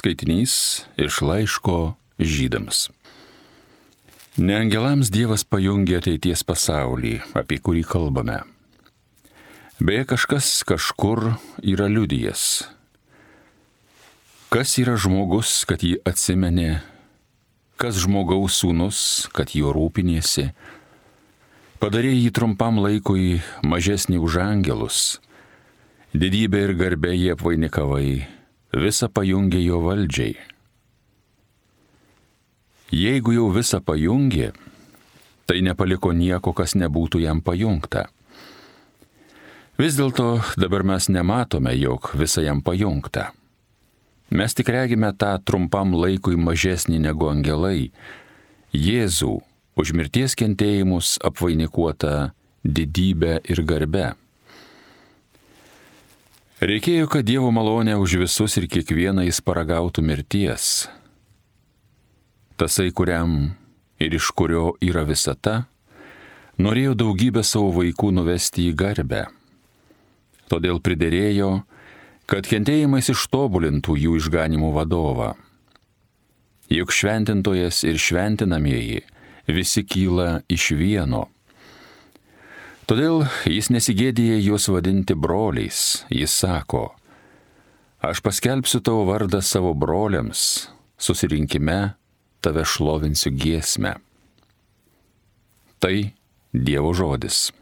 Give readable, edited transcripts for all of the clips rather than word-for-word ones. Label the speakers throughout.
Speaker 1: Skaitinys iš laiško Žydams. Ne angelams Dievas pajungė ateities pasaulį, apie kurį kalbame. Beje, kažkas kažkur yra liudijęs. Kas yra žmogus, kad jį atsimenė, kas žmogaus sūnus, kad juo rūpinėsi, padarė jį trumpam laikui mažesnį už angelus, didybę ir garbę jį apvainikavai, visą pajungė jo valdžiai. Jeigu jau visą pajungė, tai nepaliko nieko, kas nebūtų jam pajungta. Vis dėlto dabar mes nematome, jog visa jam pajungta. Mes tik regime tą trumpam laikui mažesnį negu angelai, Jėzų, už mirties kentėjimus apvainikuotą didybę ir garbę. Reikėjo, kad Dievo malonė už visus ir kiekvieną jis paragautų mirties. Tasai, kuriam ir iš kurio yra visata, norėjo daugybę savo vaikų nuvesti į garbę. Todėl priderėjo, kad kentėjimais ištobulintų jų išganimo vadovą. Juk šventintojas ir šventinamieji visi kyla iš vieno. Todėl jis nesigėdija juos vadinti broliais. Jis sako, aš paskelbsiu tavo vardą savo broliams, susirinkime tave šlovinsiu giesmę. Tai Dievo žodis.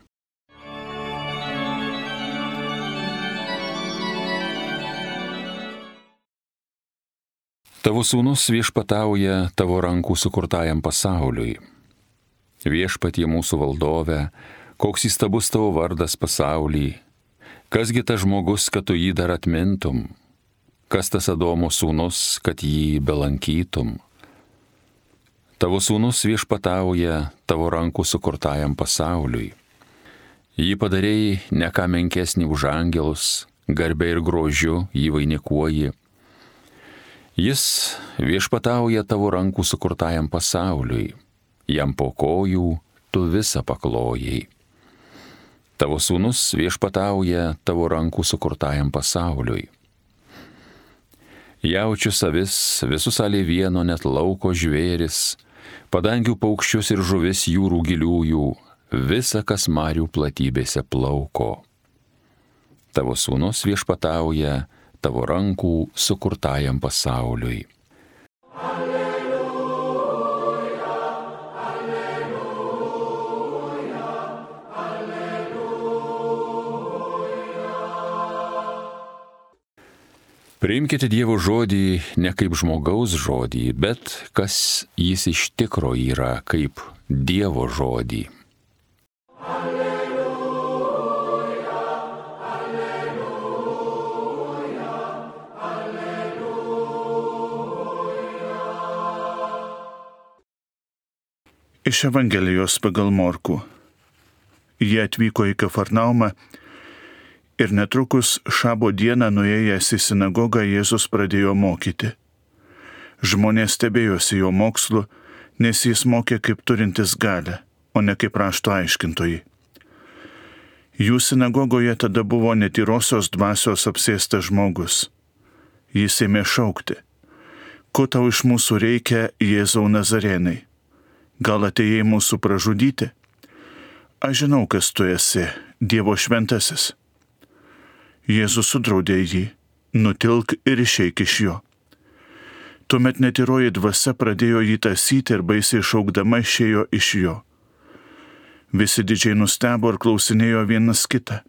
Speaker 1: Tavo sūnus viešpatauja tavo rankų sukurtajam pasauliui. Viešpatie mūsų valdove, koks įstabus tavo vardas pasauly, kasgi tas žmogus, kad tu jį dar atmintum, kas tas Adomo sūnus, kad jį belankytum. Tavo sūnus viešpatauja tavo rankų sukurtajam pasauliui. Jį padarėjai ne ką menkesnį už angelus, garbę ir grožiu jį vainikuoji. Jis viešpatauja tavo rankų sukurtajam pasauliui, jam po kojų tu visą paklojai. Tavo sūnus viešpatauja tavo rankų sukurtajam pasauliui. Jaučius avis, visus alėvieno net lauko žvėris, padangių paukščius ir žuvis jūrų giliųjų, visa, kas marių platybėse plauko. Tavo sūnus viešpatauja tavo rankų sukurtajam pasauliui. Priimkite Dievo žodį ne kaip žmogaus žodį, bet kas jis iš tikro yra, kaip Dievo žodį. Alleluja, alleluja, alleluja.
Speaker 2: Iš Evangelijos pagal Morkų. Jie atvyko į Kafarnaumą ir netrukus šabo dieną nuėjęs į sinagogą Jėzus pradėjo mokyti. Žmonės stebėjosi jo mokslu, nes jis mokė kaip turintis galią, o ne kaip rašto aiškintojai. Jų sinagogoje tada buvo netyrosios dvasios apsėstas žmogus. Jis ėmė šaukti, ko tau iš mūsų reikia, Jėzau Nazarėnai? Gal atėjai mūsų pražudyti? Aš žinau, kas tu esi, Dievo šventasis. Jėzus sudraudė jį, nutilk ir išeik iš jo. Tuomet netyroji dvasia pradėjo jį tąsyti ir baisiai šaukdama išėjo iš jo. Visi didžiai nustebo ir klausinėjo vienas kitą.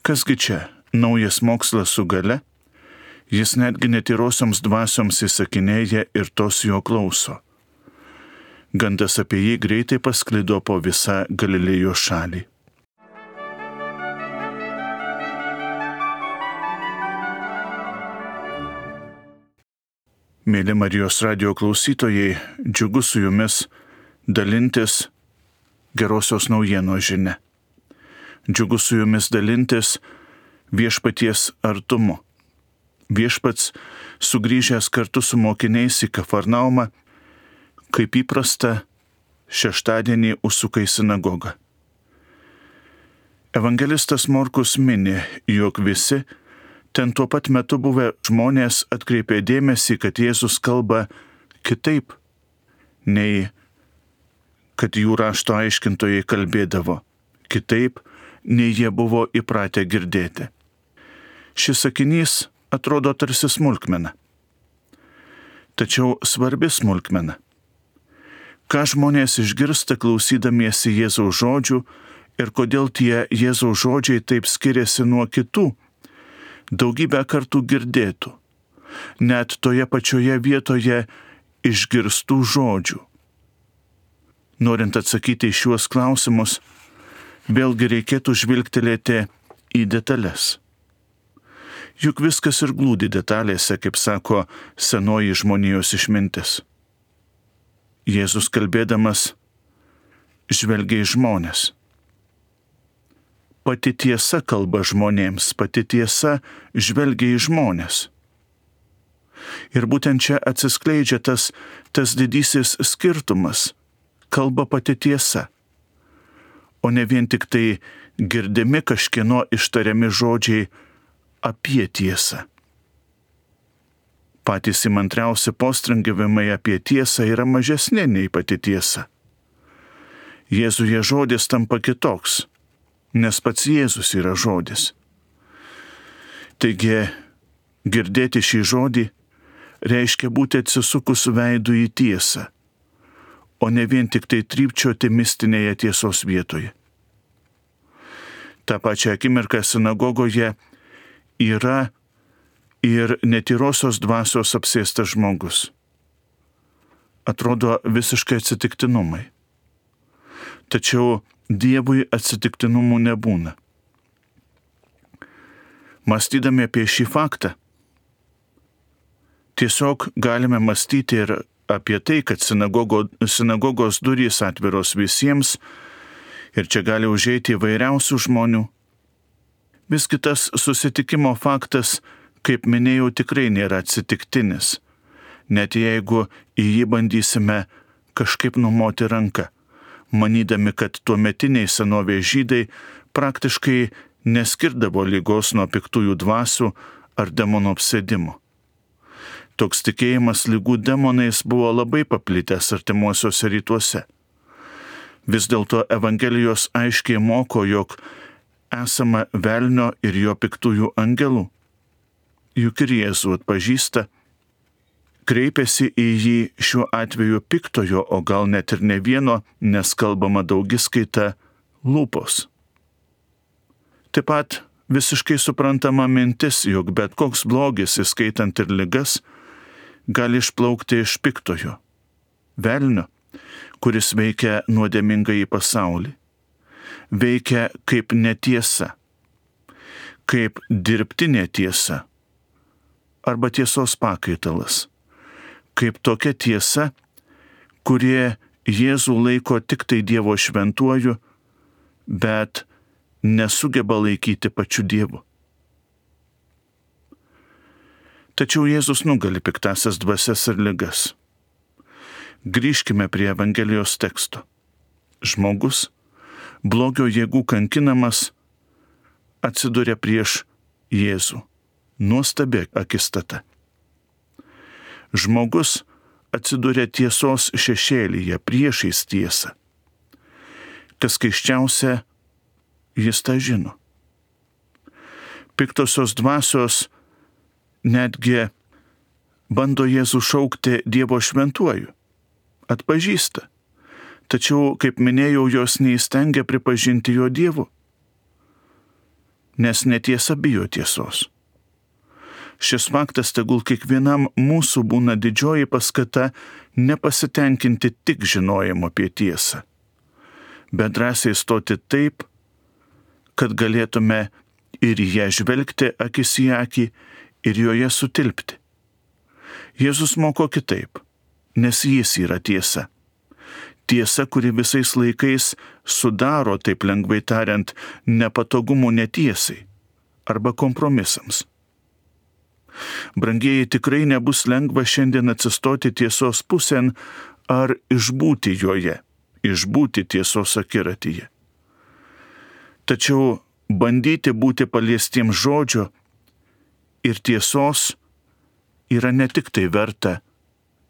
Speaker 2: Kasgi čia, naujas mokslas su gale? Jis netgi netyrosioms dvasioms įsakinėja ir tos jo klauso. Gandas apie jį greitai pasklido po visą Galilėjos šalį. Mėly Marijos radijo klausytojai, džiugu su jumis dalintis gerosios naujienos žinia. Džiugu su jumis dalintis viešpaties artumu. Viešpats, sugrįžęs kartu su mokiniais į Kafarnaumą, kaip įprasta, šeštadienį užsuka į sinagogą. Evangelistas Morkus mini, jog visi ten tuo pat metu buvę žmonės atkreipė dėmesį, kad Jėzus kalba kitaip, nei kad jų rašto aiškintojai kalbėdavo, kitaip, nei jie buvo įpratę girdėti. Šis sakinys atrodo tarsi smulkmena. Tačiau svarbi smulkmena. Ką žmonės išgirsta klausydamiesi Jėzaus žodžių ir kodėl tie Jėzaus žodžiai taip skiriasi nuo kitų, daugybę kartų girdėtų, net toje pačioje vietoje išgirstų žodžių. Norint atsakyti į šiuos klausimus, vėlgi reikėtų žvilgtelėti į detalės. Juk viskas ir glūdi detalėse, kaip sako senoji žmonijos išmintis. Jėzus kalbėdamas žvelgia į žmones. Pati tiesa kalba žmonėms, pati tiesa žvelgia į žmones. Ir būtent čia atsiskleidžia tas didysis skirtumas. Kalba pati tiesa, o ne vien tik tai girdimi kažkieno ištariami žodžiai apie tiesą. Patys įmantriausi postringavimai apie tiesą yra mažesni nei pati tiesa. Jėzuje žodis tampa kitoks, nes pats Jėzus yra žodis. Taigi, girdėti šį žodį reiškia būti atsisukus veidu į tiesą, o ne vien tik tai trypčioti mistinėje tiesos vietoje. Ta pačia akimirka sinagogoje yra ir netyrosios dvasios apsėstas žmogus. Atrodo visiškai atsitiktinumai. Tačiau Dievui atsitiktinumų nebūna. Mąstydami apie šį faktą, tiesiog galime mąstyti ir apie tai, kad sinagogos durys atviros visiems ir čia gali užeiti įvairiausių žmonių. Visgi tas susitikimo faktas, kaip minėjau, tikrai nėra atsitiktinis, net jeigu į jį bandysime kažkaip numoti ranką, manydami, kad tuometiniai senovės žydai praktiškai neskirdavo ligos nuo piktųjų dvasių ar demonų apsėdimo. Toks tikėjimas ligų demonais buvo labai paplitęs artimuosiuose rytuose. Vis dėlto Evangelijos aiškiai moko, jog esama velnio ir jo piktųjų angelų. Juk ir Jėzų atpažįsta, kreipiasi į jį šiuo atveju piktojo, o gal net ir ne vieno, nes kalbama daugiskaita lūpos. Taip pat visiškai suprantama mintis, jog bet koks blogis, įskaitant ir ligas, gali išplaukti iš piktojo, velnio, kuris veikia nuodėmingąjį pasaulį. Veikia kaip netiesa, kaip dirbtinė tiesa arba tiesos pakaitalas, kaip tokia tiesa, kurie Jėzų laiko tik tai Dievo šventuoju, bet nesugeba laikyti pačiu Dievu. Tačiau Jėzus nugali piktasias dvasias ir ligas. Grįžkime prie Evangelijos teksto. Žmogus, blogio jėgų kankinamas, atsiduria prieš Jėzų. Nuostabi akistata. Žmogus atsiduria tiesos šešėlyje priešais tiesą. Kas keisčiausia, jis tą žino. Piktosios dvasios netgi bando Jėzų šaukti Dievo šventuoju. Atpažįsta. Tačiau, kaip minėjau, jos neįstengia pripažinti jo Dievu. Nes netiesa bijo tiesos. Šis faktas tegul kiekvienam mūsų būna didžioji paskata nepasitenkinti tik žinojimu apie tiesą, bet drąsiai stoti taip, kad galėtume ir ją žvelgti akis į akį ir joje sutilpti. Jėzus moko kitaip, nes jis yra tiesa. Tiesa, kuri visais laikais sudaro, taip lengvai tariant, nepatogumų netiesai arba kompromisams. Brangieji, tikrai nebus lengva šiandien atsistoti tiesos pusėn ar išbūti joje, išbūti tiesos akiratyje. Tačiau bandyti būti paliestiems žodžio ir tiesos yra ne tik tai verta,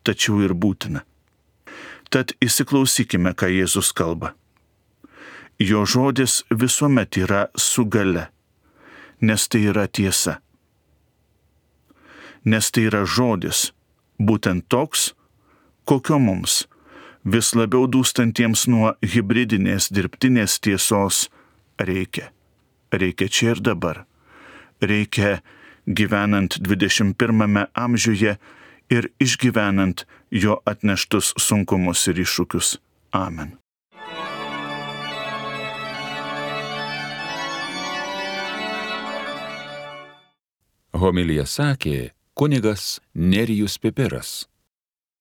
Speaker 2: tačiau ir būtina. Tad įsiklausykime, ką Jėzus kalba. Jo žodis visuomet yra su gale, nes tai yra tiesa. Nes tai yra žodis, būtent toks, kokio mums, vis labiau dūstantiems nuo hibridinės dirbtinės tiesos, reikia. Reikia čia ir dabar. Reikia gyvenant 21 amžiuje ir išgyvenant jo atneštus sunkumus ir iššūkius. Amen.
Speaker 1: Homiliją sakė kunigas Nerijus Pipiras.